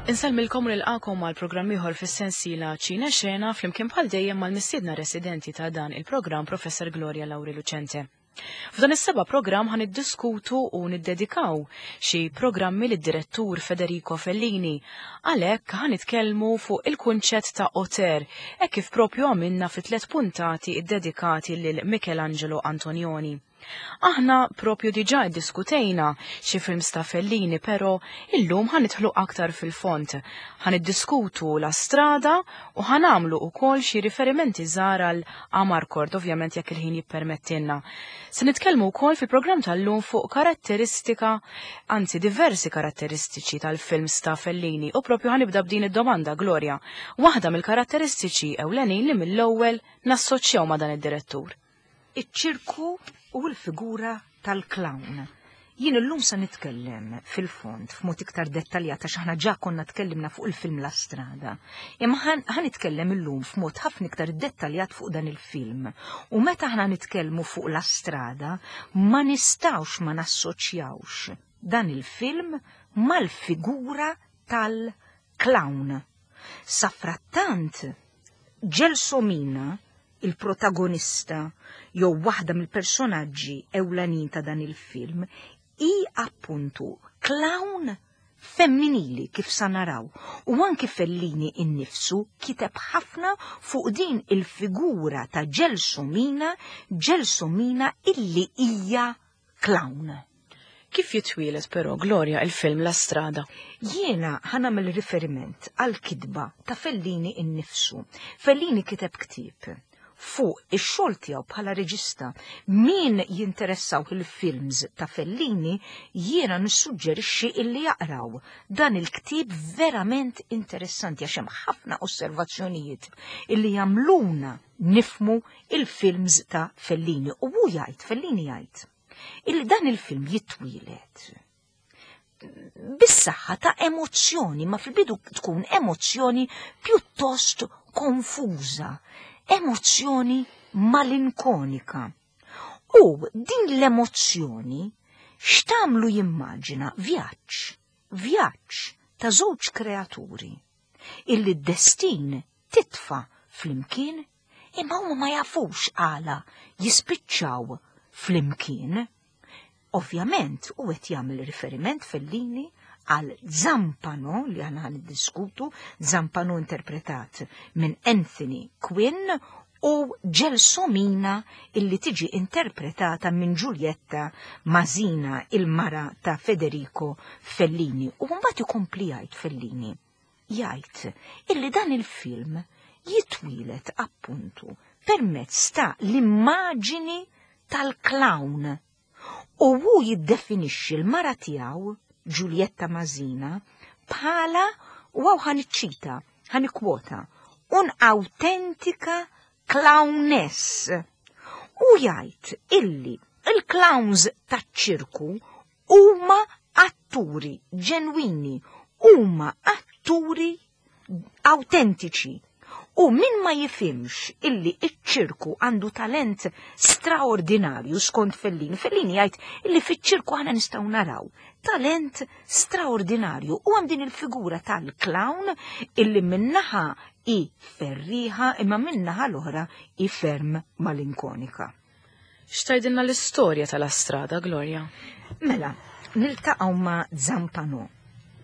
Insellmilkom u nilqakom għal programm ieħor fis-sensiela Ċine Xena flimkien bħal dejjem mal-mistiedna residenti ta' dan il-programm Professor Gloria Lauri Lucente. F'dan is-seba' programm ħan niddiskutu u niddedikaw xi programmi lid-direttur Federico Fellini. Għalhekk ħan nitkellmu fuq il-kunċett ta' auteur, hekk kif propju għamilna fi tliet puntati ddedikati lil Michelangelo Antonioni. Aħna propju diġà iddiskutejna xi films ta' Fellini, però illum ħa nidħlu aktar fil-fond. Ħa niddiskutu La Strada u ħa nagħmlu wkoll xi riferimenti żgħar għal Amarcord, ovvjament jekk il-ħin jippermettilna. Se nitkellmu wkoll fil-programm tal-lum fuq karatteristika, anzi diversi karatteristiċi tal-films ta' Fellini u propju ħa nibda b'din id-domanda, Gloria. Waħda mill-karatteristiċi ewlenin li mill-ewwel nassoċjaw ma' dan id-direttur. Iċ-ċirku u l-figura tal-clown. Jien illum se nitkellem fil-fond f'mod iktar dettaljat għax aħna ġa konna tkellimna fuq il-film La Strada. Imma ħa nitkellem illum f'mod ħafna iktar dettaljat fuq dan il-film. U meta aħna nitkellmu fuq La Strada, ma nistgħux ma nassoċjawx dan il-film mal-figura tal-clown. Safrattant, Gelsomina, il-protagonista jew waħda mill-personaġġi ewlenin ta' dan il-film, hi appuntu clown femminili kif sa naraw u anki Fellini innifsu kiteb ħafna fuq din il-figura ta' Gelsomina, Gelsomina illi hija clown. Kif jitwieled però, Gloria, il-film La Strada? Jiena ħa nagħmel riferiment għall-kitba ta' Fellini innifsu. Fellini kiteb ktieb fuq ix-xogħol tiegħu bħala reġista. Min jinteressaw il-films ta' Fellini, jiena nissuġġerixxi illi jaqraw dan il-ktieb verament interessanti għax hemm ħafna osservazzjonijiet illi jagħmluna nifmu il-films ta' Fellini. U hu jgħid, Fellini jgħid, illi dan il-film jitwieled bis-saħħa ta' emozzjoni, ma fil-bidu tkun emozzjoni pjuttost konfuża, emozzjoni malinkonika. U din l-emozzjoni x'tagħmlu jimmaġina vjaġġ, vjaġġ ta' żewġ kreaturi illi d-destin titfa' flimkien imma huma ma jafux għala jispiċċaw flimkien. Ovvjament, u qed jagħmel riferiment Fellini għal Zampano li aħna niddiskutu, Zampano interpretat minn Anthony Quinn u Gelsomina illi tiġi interpretata minn Giulietta Masina, il-mara ta' Federico Fellini. U mbagħad ikompli jgħid Fellini jgħid illi dan il-film jitwieled appuntu permezz ta' l-immaġini tal-clown u hu jiddefinixxi l-mara tiegħu Giulietta Masina bħala u hawn ħa niċċita, ħa nikkwota, un'autentica clowness. U jgħid illi il-clowns taċ-ċirku huma atturi ġenwini, huma atturi awtentiċi. U min ma jifhimx illi iċ-ċirku għandu talent straordinarju skont Fellini, Fellini jgħid illi fiċ-ċirku aħna nistgħu naraw talent straordinarju u hemm din il-figura tal-clown illi minnaħa i ferriħa imma minnaħa l-oħra i ferm malinkonika. X'tgħidilna l-istorja ta' La Strada, Gloria? Mela, niltaqgħu ma' Zampano.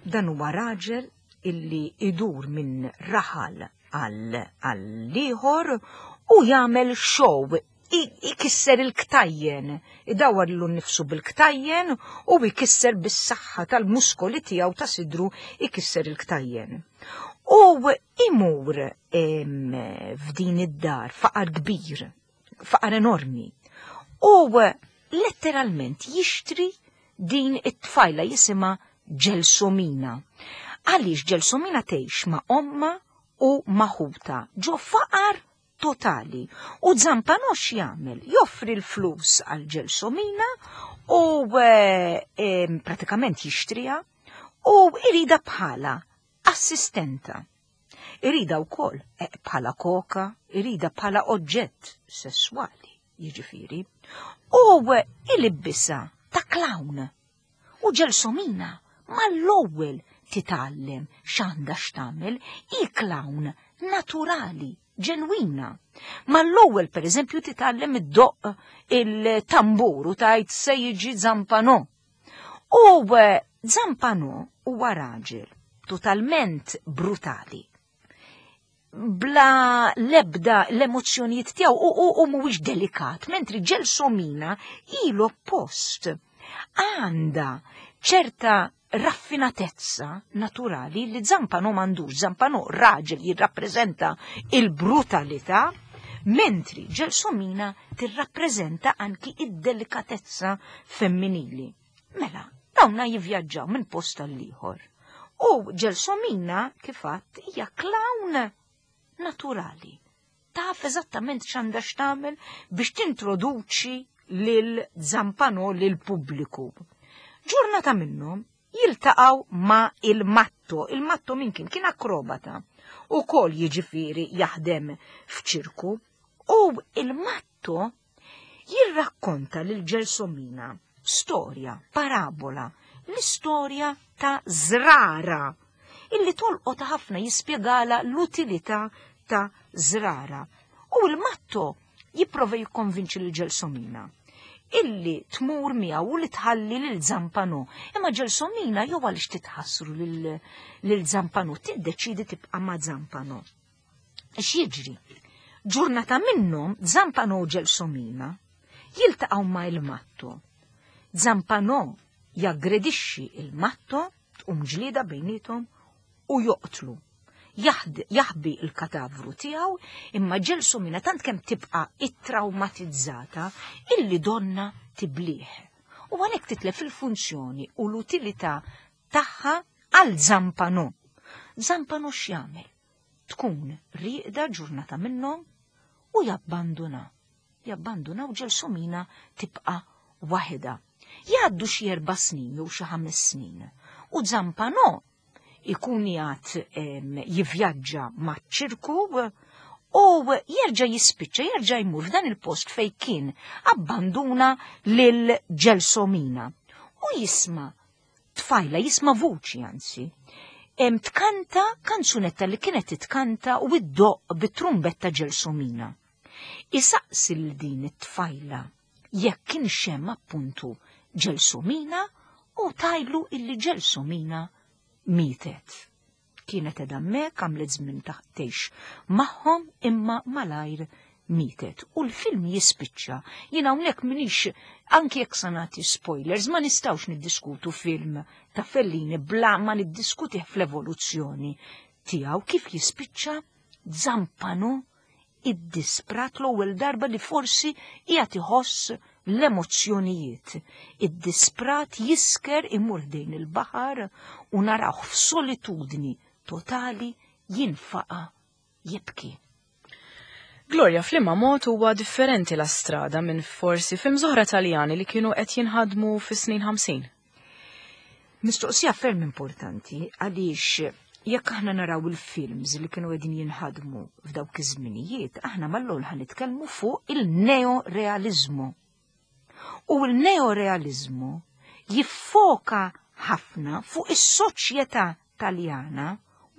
Dan huwa raġel illi idur minn raħal għal ieħor u jagħmel show ikisser il-ktajjen, idawwar lilu nnifsu bil-ktajjen u jkisser bis-saħħa tal-muskoli tiegħu ta' sidru ikisser il-ktajjen. U imur f'din id-dar faqar kbir faqar enormi. U letteralment jixtri din it-tfajla jisimha Ġelsomina. Għaliex Ġelsomina tgħix ma' omma u ma' ħuta ġo faqar totali. U Zampano x'jagħmel? Joffri l-flus għal Ġelsomina u eh, pratikament jixtriha u irida bħala assistenta. Irida wkoll eh, bħala koka, irida bħala oġġett sesswali, jiġifieri. U ilibbisha ta' clown. U Ġelsomina mal-ewwel titgħallem x'għandha x'tagħmel, hi clown naturali, ġenwina. Mal-ewwel pereżempju titgħallem iddoqq il-tambur u tgħid se jiġi Zampano. U Zampano huwa raġel totalment brutali. Bla lebda l-emozzjonijiet tiegħu u mhuwiex delikat, mentri Gelsomina hi l-oppost. Għandha ċerta raffinatezza naturali li Zampano m'għandux. Zampano raġel jirrappreżenta il-brutalità, mentri Gelsomina tirrappreżenta anki id-delikatezza femminili. Mela, dawna jivvjaġġaw minn post għall-ieħor. U Gelsomina, kif għadt, hija clown naturali. Taf eżattament x'għandha x'tagħmel biex tintroduċi lil Zampano lil pubbliku. Ġurnata minnhom jiltaqgħu ma' il-Matto. Il-Matto min kien? Kien akrobata. U kol jiġifieri jaħdem f'ċirku. U il-Matto jirrakkonta lil Gelsomina storja, parabola, l-istorja ta' Zrara, illi tolqot ħafna, jispjegala l-utilità ta' Zrara. U il-Matto jipprova jikkonvinċi lil Gelsomina illi tmur miegħu u li tħalli lil Zampano. Imma Gelsomina jew għaliex titħassru lil Zampano, tiddeċidi tibqa' ma' Zampano. X'jiġri? Ġurnata minnhom Zampano u Gelsomina jiltaqgħu ma' il-Matto. Zampano jaggredixxi il-Matto, tqum ġlieda bejnietom u joqtlu. Jaħbi il-katavru tiegħu, imma Gelsomina tant kemm tibqa' ittraumatizzata illi donna tiblih. U għalhekk titlef il-funzjoni u l-utilità tagħha għal Zampano. Zampano x'jagħmel? Tkun rieqda ġurnata minnhom u jabbanduna. Jabbanduna u Gelsomina tibqa' waħedha. Jgħaddu xi 4 snin jew xi 5 snin. U Zampano ikun jgħad jivvjaġġa maċ-ċirku u jerġa' jispiċċa, jerġa' jmur f'dan il-post fej kien abbanduna lil Gelsomina. U jisma' tfajla, jisma' vuċi anzi, tkanta kanzunetta li kienet titkanta u iddoqq bit-trumbetta Gelsomina. Isaqsi lil din it-tfajla jekk kien xem appuntu Gelsomina u tajlu illi Gelsomina mietet. Kienet edha hemmhekk, għamlet żmien tgħix magħhom imma malajr mietet. U l-film jispiċċa. Jien hawnhekk minix, anki jekk sa nagħti spoilers, ma nistgħux niddiskutu film ta' Fellini bla ma niddiskutih fl-evoluzzjoni tiegħu kif jispiċċa Zampano iddisprat l-ewwel darba li forsi qiegħed iħoss l-emozzjonijiet. Iddisprat jisker imur ħdejn il-baħar u narawh f'solitudni totali jinfaqa jibki. Gloria, f'liema mod huwa differenti La Strada minn forsi films oħra Taljani li kienu qed jinħadmu fis-snin 50? Mistoqsija ferm importanti għaliex jekk aħna naraw il-films li kienu qegħdin jinħadmu f'dawk iż-żminijiet, aħna mal-ewwel ħa nitkellmu fuq il-neorealizmu. U il-neorealizmu jiffoka ħafna fuq is-soċjetà Taljana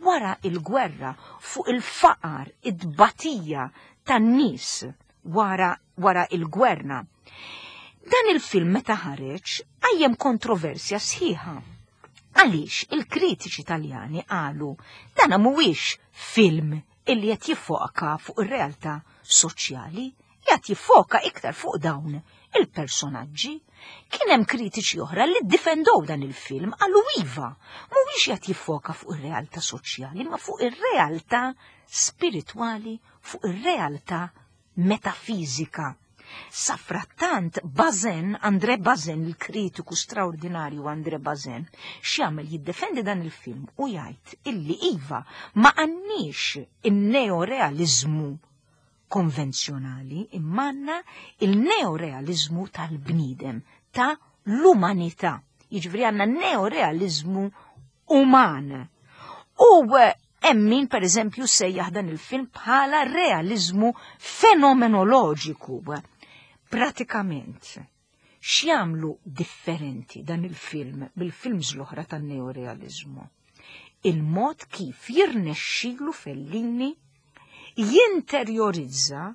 wara il-gwerra, fuq il-faqar, id-tbatija tan-nies wara il-gwerra. Dan il-film meta ħareġ qajjem kontroversja sħiħa. Għaliex il-kritiċi Taljani qalu dan mhuwiex film illi qed jiffoka fuq ir-realtà soċjali, qed jiffoka iktar fuq dawn il-personaġġi. Kien hemm kritiċi oħra li ddifendow dan il-film, qalu iva, mhuwiex qed jiffoka fuq ir-realtà soċjali, ma fuq ir-realtà spiritwali, fuq ir-realtà metafizika. Safrattant Bazin, André Bazin, il-kritiku straordinarju André Bazin, x'jagħmel jiddefendi dan il-film u jgħid illi iva ma għandniex in-neorealizmu konvenzjonali, imma għandna il-neorealizmu tal-bniedem, ta' l-umanità. Jiġifieri għandna neorealizmu uman. U hemm min, per eżempju, sejjaħ dan il-film bħala realizmu fenomenoloġiku. Pratikament, x'jagħmlu differenti dan il-film bil-films l-oħra tan-neorealizmu? Il-mod kif jirnexxilu Fellini jinterjorizza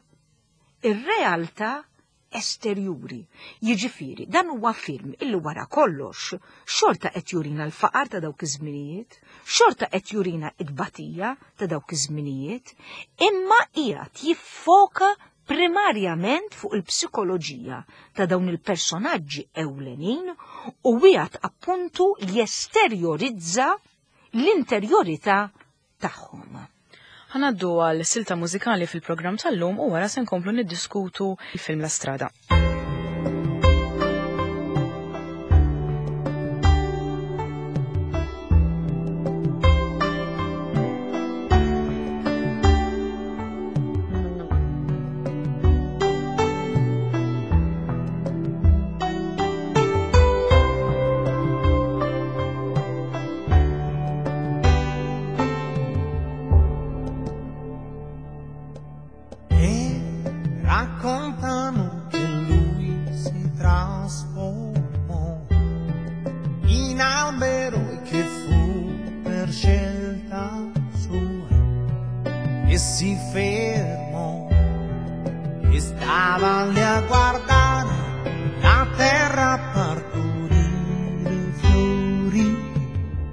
ir-realtà esterjuri. Jiġifieri, dan huwa film illi wara kollox xorta qed jurina l-faqar ta' dawk iż-żminijiet, xorta qed jurina t-tbatija ta' dawk iż-żminijiet, imma qiegħed jiffoka primarjament fuq il-psikoloġija ta' dawn il-personaġġi ewlenin u qiegħed appuntu jesterjorizza l-interjorità tagħhom. Ħa ngħaddu għal silta mużikali fil-programm tal-lum u wara se nkomplu niddiskutu il-film La Strada. E raccontano che lui si trasformò in albero e che fu per scelta sua e si fermò e stava lì a guardare la terra partorire fiori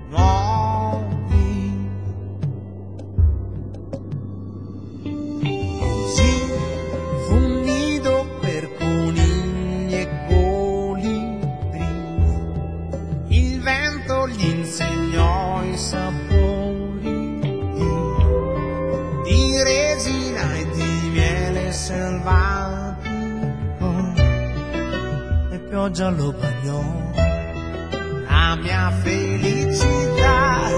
nuovi. Così fu un nido per conigli e colibri. Il vento gli insegnò i sapori di resina e di miele selvatico, e pioggia lo bagnò. La mia felicità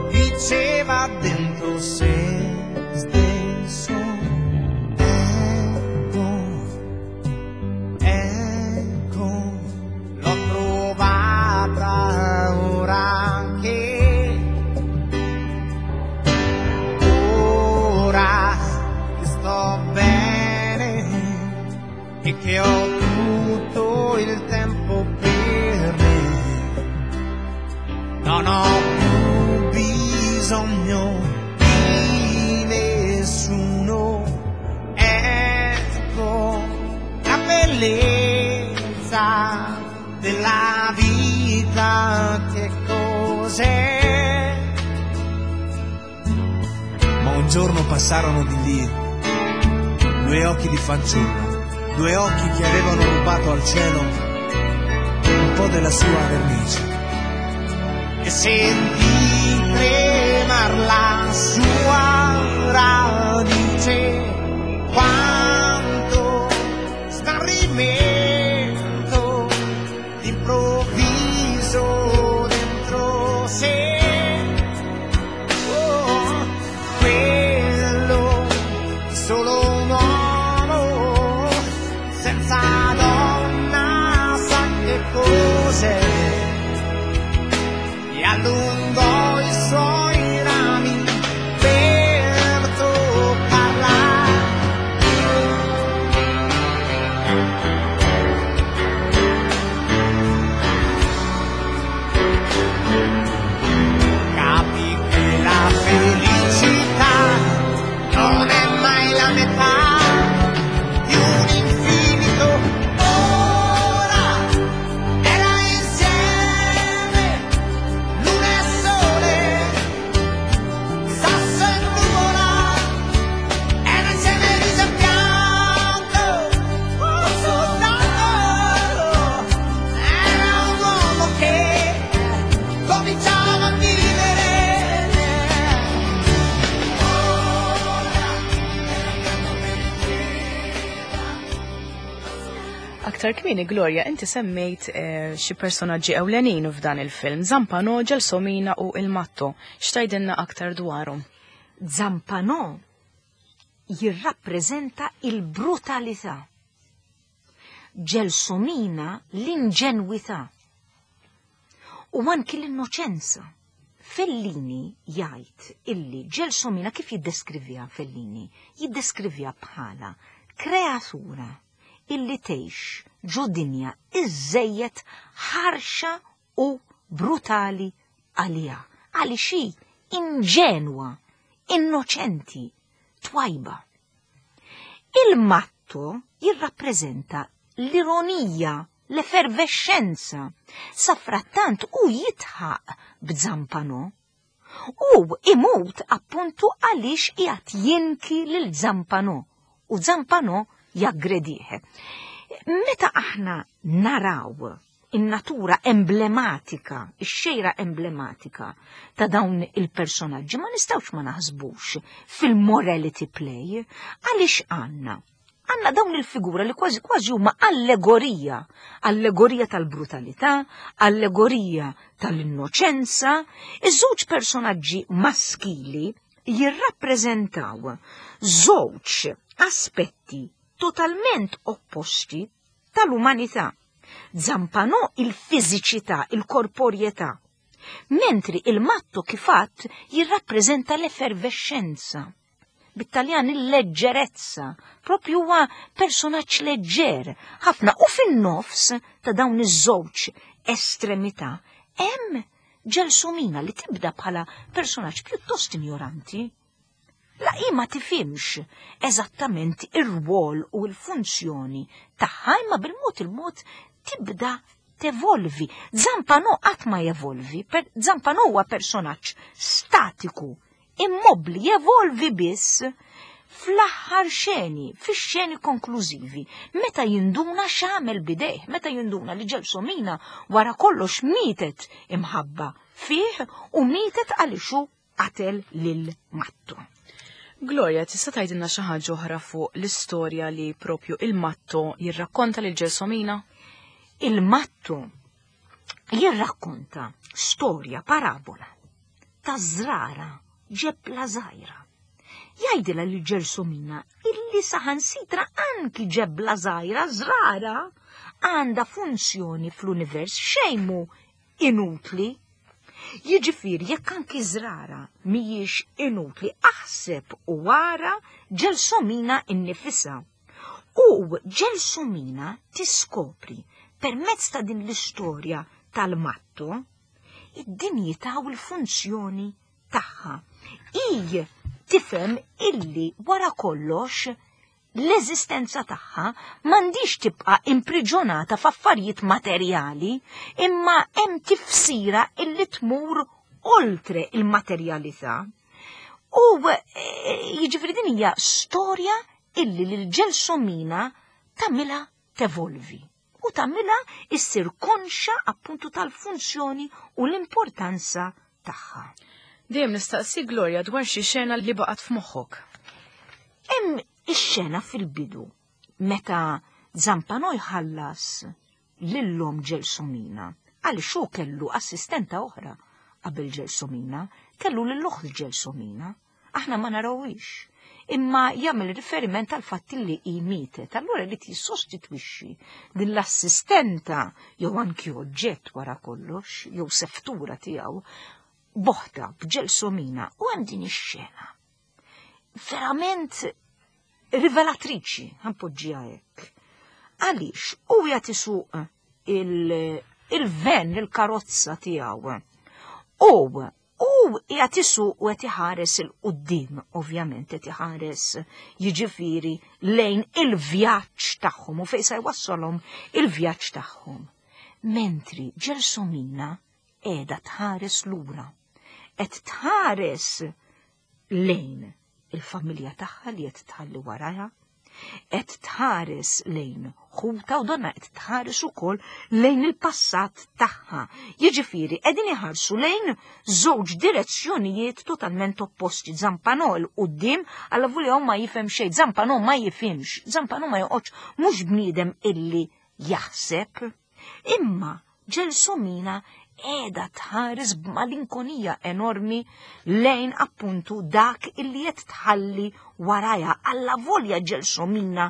diceva dentro se stesso, ecco, ecco, l'ho trovata ora che, ora che sto bene e che ho tutto il tempo per me. Non ho più bisogno di nessuno. Ecco la bellezza della vita che cos'è. Ma un giorno passarono di lì due occhi di fanciulla, due occhi che avevano rubato al cielo un po' della sua vernice. E sentì tremar la sua radice, quanto smarrimento d'improvviso dentro sé. Oh, quello solo un uomo senza donna sa che cos'è. E allungò i suoi rami per toccarla. Capì che la felicità non è mai la metà di un infinito. Ora era insieme luna e sole, sasso e nuvola, era insieme riso e pianto, soltanto era un uomo che cominciava a vivere. Aktar kmieni, Gloria, inti semmejt xi personaġġi ewlenin f'dan il-film, Zampano, Gelsomina u Il Matto. X'tgħidilna aktar dwarhom? Zampano jirrappreżenta il-brutalità. Gelsomina l-inġenwità. U anki l-innoċenza. Fellini jgħid illi Gelsomina kif jiddeskriviha Fellini? Jiddeskriviha bħala kreatura illi tgħix ġo dinja iżżejjed ħarxa u brutali għaliha. Għaliex hi inġenwa, innoċenti, twajba. Il-matto jirrappreżenta l-ironija, l-effervexxenza. Safrattant hu jidħaq b'Zampano. U imut appuntu għaliex qiegħed jinki lil Zampano u Zampano jaggredih. Meta aħna naraw in-natura emblematika, ix-xejra emblematika ta' dawn il-personaġġi, ma nistgħux ma naħsbux fil-morality play, għaliex għandna għandna dawn il-figura li kważi kważi huma allegorija, allegorija tal-brutalità, allegorija tal-innoċenza. Iż-żewġ personaġġi maskili jirrappreżentaw żewġ aspetti totalment opposti tal-umanità. Zampano il-fiżiċità, il-korporjetà, mentri il-matto kif għadt jirrappreżenta l-effervexxenza. Bit-Taljan il-leġġerezza, propju huwa personaġġ leġġer ħafna u fin-nofs ta' dawn iż-żewġ estremità hemm Gelsomina li tibda bħala personaġġ pjuttost injoranti. La hi ma tifhimx eżattament ir-rwol u l-funzjoni tagħha imma bil-mod il-mod tibda tevolvi. Zampano qatt ma jevolvi, per Zampano huwa personaġġ statiku, immobbli, jevolvi biss fl-aħħar xeni, fix-xeni konklużivi, meta jinduna x'għamel bidejh, meta jinduna li Gelsomina wara kollox mietet imħabba fih u mietet għaliex hu qatel lil Matto. Gloria, tista' tgħidilna xi ħaġa oħra fuq l-istorja li propju il-Matto jirrakkonta lil Gelsomina? Il-Matto jirrakkonta storja parabola ta' żrara ġebla żgħira. Jgħidilha lil Gelsomina illi saħansitra anki ġebla żgħira żrara għandha funzjoni fl-univers xejn mhu inutli. Jiġifieri jekk anki żrara mhijiex inutli aħseb u ara Gelsomina innifisha. U Gelsomina tiskopri permezz ta' din l-istorja tal-matto id-dinjità u l-funzjoni tagħha. Hi tifhem illi wara kollox l-eżistenza tagħha m'għandhiex tibqa' impriġonata f'affarijiet materjali, imma hemm tifsira illi tmur oltre il-materjalità. U jiġifieri din hija storja illi lil Gelsomina tagħmilha tevolvi u tagħmilha issir konxa appuntu tal-funzjoni u l-importanza tagħha. Dejjem nistaqsi Gloria dwar xi xena li baqgħet f'moħħok. Hemm ix-xena fil-bidu meta Zampano jħallas lil-lom Gelsomina għaliex hu kellu assistenta oħra qabel Gelsomina, kellu lil oħt Gelsomina. Aħna ma narawhiex, imma jagħmel riferiment għal fatt li hi mietet, allura irid jissostitwixxi din l-assistenta jew anki oġġett wara kollox, jew seftura tiegħu, boħta b'Gelsomina u hemm din ix-xena. Verament rivelatriċi, ħanpoġġiha hekk. Għaliex hu qiegħed isuq il-ven, il-karozza tiegħu. U U qiegħed isuq u qed iħares 'il quddiem, ovvjament qed iħares jiġifieri lejn il-vjaġġ tagħhom u fejn se jwassalhom il-vjaġġ tagħhom. Mentri Gelsomina qiegħda tħares lura, qed tħares lejn il-familja tagħha li qed tħalli warajha, qed tħares lejn ħuta u donna qed tħares ukoll lejn il-passat tagħha. Jiġifieri qegħdin iħarsu lejn żewġ direzzjonijiet totalment opposti. Zampanò 'l quddiem alla volja ma jifhem xejn, Zampanò ma jifhimx, Zampanò ma joqgħodx mhux bniedem illi jaħseb. Imma Gelsomina qiegħda tħares b'malinkonija enormi lejn appuntu dak illi qed tħalli warajha. Alla volja Gelsomina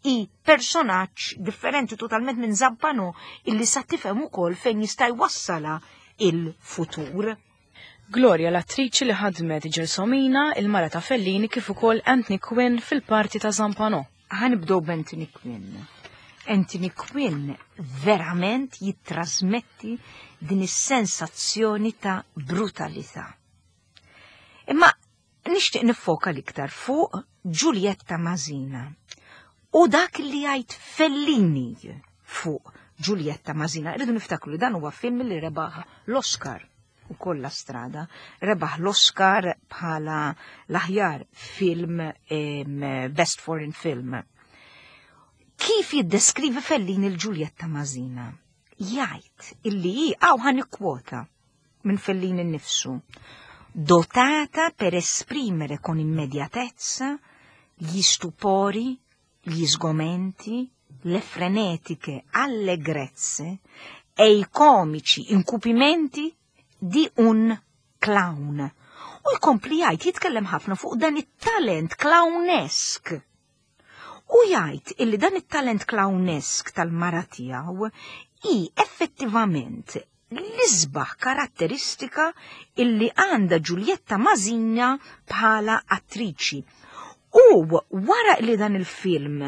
hi personaġġ differenti totalment minn Zampano illi sa tifhem ukoll fejn jista' jwassalha il-futur. Gloria l-attriċi li ħadmet Gelsomina, il-mara ta' Fellini kif ukoll Anthony Quinn fil-parti ta' Zampano. Ħa nibdew b'Anthony Quinn. Anthony Quinn verament jittrasmetti din is-sensazzjoni ta' brutalità. Imma nixtieq niffoka l-iktar fuq Giulietta Masina u dak li jgħid Fellini fuq Giulietta Masina. Irridu niftakru li dan huwa film li rebaħ l-Oscar u kolla strada. Rebaħ l-Oscar bħala l-aħjar film Best Foreign Film. Kif jiddeskrivi Fellini l-Giulietta Masina? Jgħid illi hi hawn ħa nikkwota minn Fellini nnifsu. Dotata per esprimere con immediatezza gli stupori, gli sgomenti, le frenetiche allegrezze e i comici incupimenti di un clown. U jkompli jgħid jitkellem ħafna fuq dan it-talent clownesk. U jgħid illi dan it-talent clownesk tal-mara tiegħu hi effettivament l-isbaħ karatteristika illi għandha Giulietta Masina bħala attriċi. U wara li dan il-film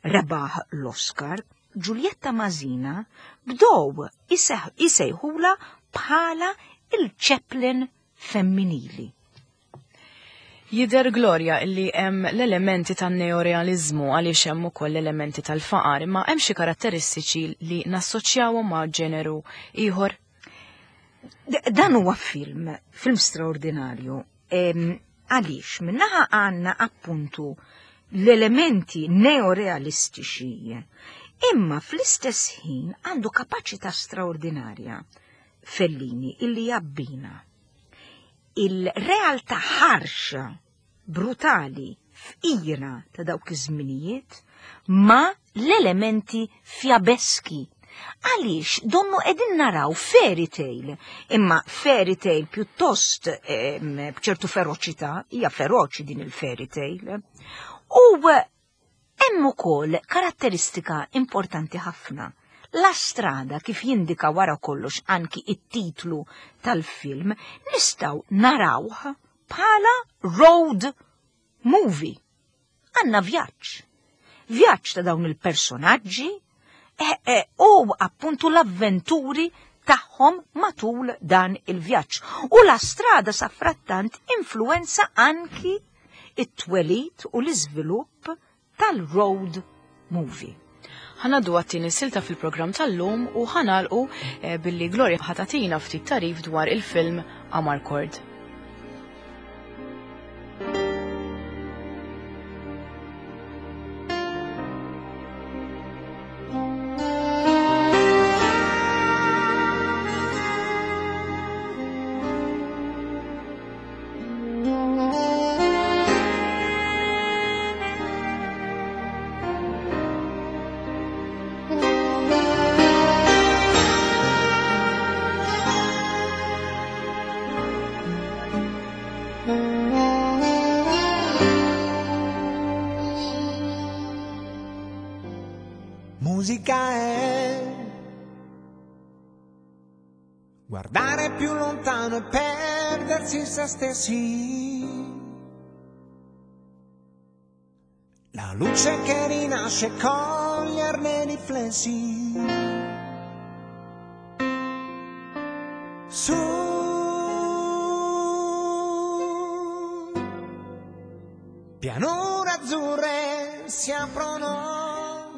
rebaħ l-Oscar, Giulietta Masina bdow isejħula bħala il-Chaplin femminili. Jidher Gloria illi hemm l-elementi tan-neorealiżmu għaliex hemm ukoll l-elementi tal-faqar, imma hemm xi karatteristiċi li nassoċjawhom ma' ġeneru ieħor? Dan huwa film, film straordinarju. Għaliex minnaħa għandna appuntu l-elementi neorealistiċi, imma fl-istess ħin għandu kapaċità straordinarja Fellini illi jabbina il-realtà ħarxa, brutali, fqira ta' dawk iż-żminijiet ma' l-elementi fjabeski. Għaliex donnu qegħdin naraw fairy tale, imma fairy tale pjuttost b'ċertu feroċità, hija feroċi din il-fairy tale. U Hemm ukoll karatteristika importanti ħafna. La Strada, kif jindika wara kollox anki it-titlu tal-film, nistgħu narawh bħala road movie. Għandna vjaġġ. Vjaġġ ta' dawn il-personaġġi eh, eh, u appuntu l-avventuri tagħhom matul dan il-vjaġġ. U La Strada sa frattant influenza anki it-twelid u l-iżvilupp tal-road movie. Ħa ngħaddu għat-tieni silta fil-programm tal-lum u ħa nagħlqu eh, billi Gloria ħa tagħtina ftit tagħrif dwar il-film Amarcord. Musica è guardare più lontano e perdersi in se stessi. La luce che rinasce coglierne i riflessi. Su pianure azzurre si aprono.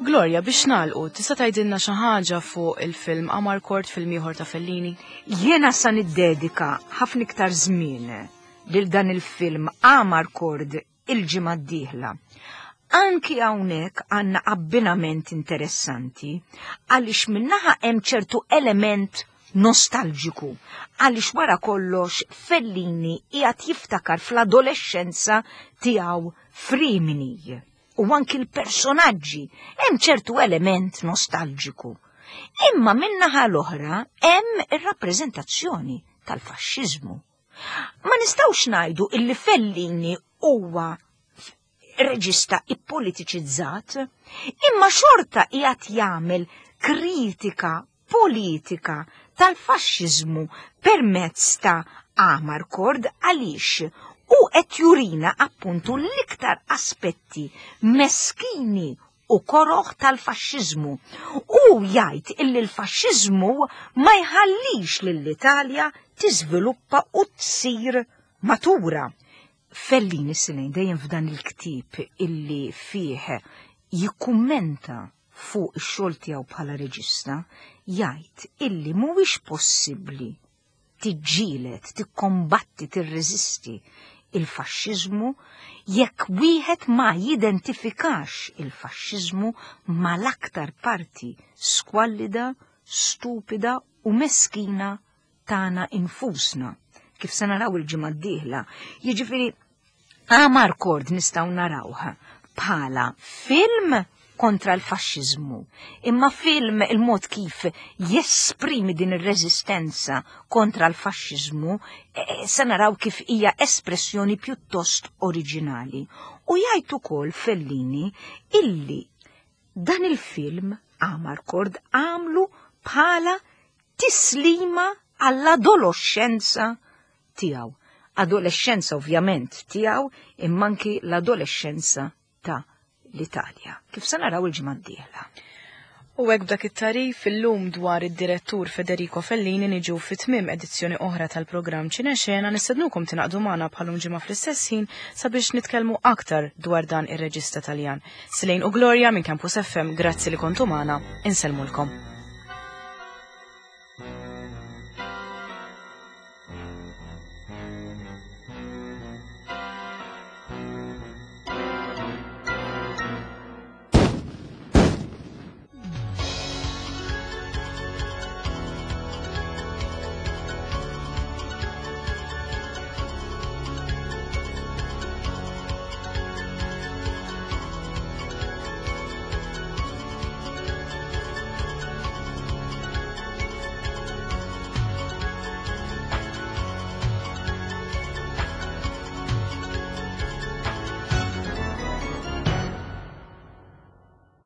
Gloria, biex nagħlqu, tista' tgħidilna xi ħaġa fuq il-film Amarcord, film ieħor ta' Fellini? Jiena sa niddedika ħafna iktar żmien lil dan il-film Amarcord il-ġimgħa d-dieħla. Anki hawnhekk għandna abbinament interessanti għaliex minnaħa hemm ċertu element nostalġiku għaliex wara kollox Fellini qiegħed jiftakar fl-adolescenza tiegħu f'Rimini. U anki l-personaġġi hemm ċertu element nostalġiku. Imma min-naħa l-oħra hemm ir-rappreżentazzjoni tal-faxxiżmu. Ma nistgħux ngħidu illi Fellini huwa reġista ippolitiċizzat, imma xorta qiegħed jagħmel kritika politika tal-faxxiżmu permezz ta' Amarcord għaliex hu qed jurina appuntu l-iktar aspetti meskini u koroh tal-faxxiżmu. Hu jgħid illi l-faxxiżmu ma jħallix lill-Italja tiżviluppa u tsir matura. Fellini Silejn dejjem f'dan il-ktieb illi fih jikkummenta fuq ix-xogħol tiegħu bħala reġista, jgħid illi mhuwiex possibbli tiġġieled, tikkombatti, tirreżisti il-faxxiżmu jekk wieħed ma jidentifikax il-faxxiżmu mal-aktar parti skwallida, stupida u meskina tagħna infusna, kif se naraw il-ġimgħa d-dieħla. Jiġifieri Amarcord nistgħu narawh bħala film kontra l-faxxiżmu, imma film il-mod kif jesprimi din ir-reżistenza kontra l-faxxiżmu eh, se naraw kif hija espressjoni pjuttost oriġinali. U jgħid ukoll Fellini illi dan il-film Amarcord għamlu bħala tislima għall-adolescenza tiegħu. Adolescenza ovvjament tiegħu imma anki l-adolescenza ta' l-Italja. Kif se naraw il-ġimgħa d-dieħla. U hekk b'dak it-tagħrif illum dwar id-direttur Federico Fellini niġu fi tmiem edizzjoni oħra tal-programm Ċinexena nistednukom tingħaqdu magħna bħalum ġimgħa fl-istess ħin sabiex nitkellmu aktar dwar dan ir-reġista Taljan. Silejn u Gloria minn Campus FM, grazzi li kontu magħna, insellmulkom.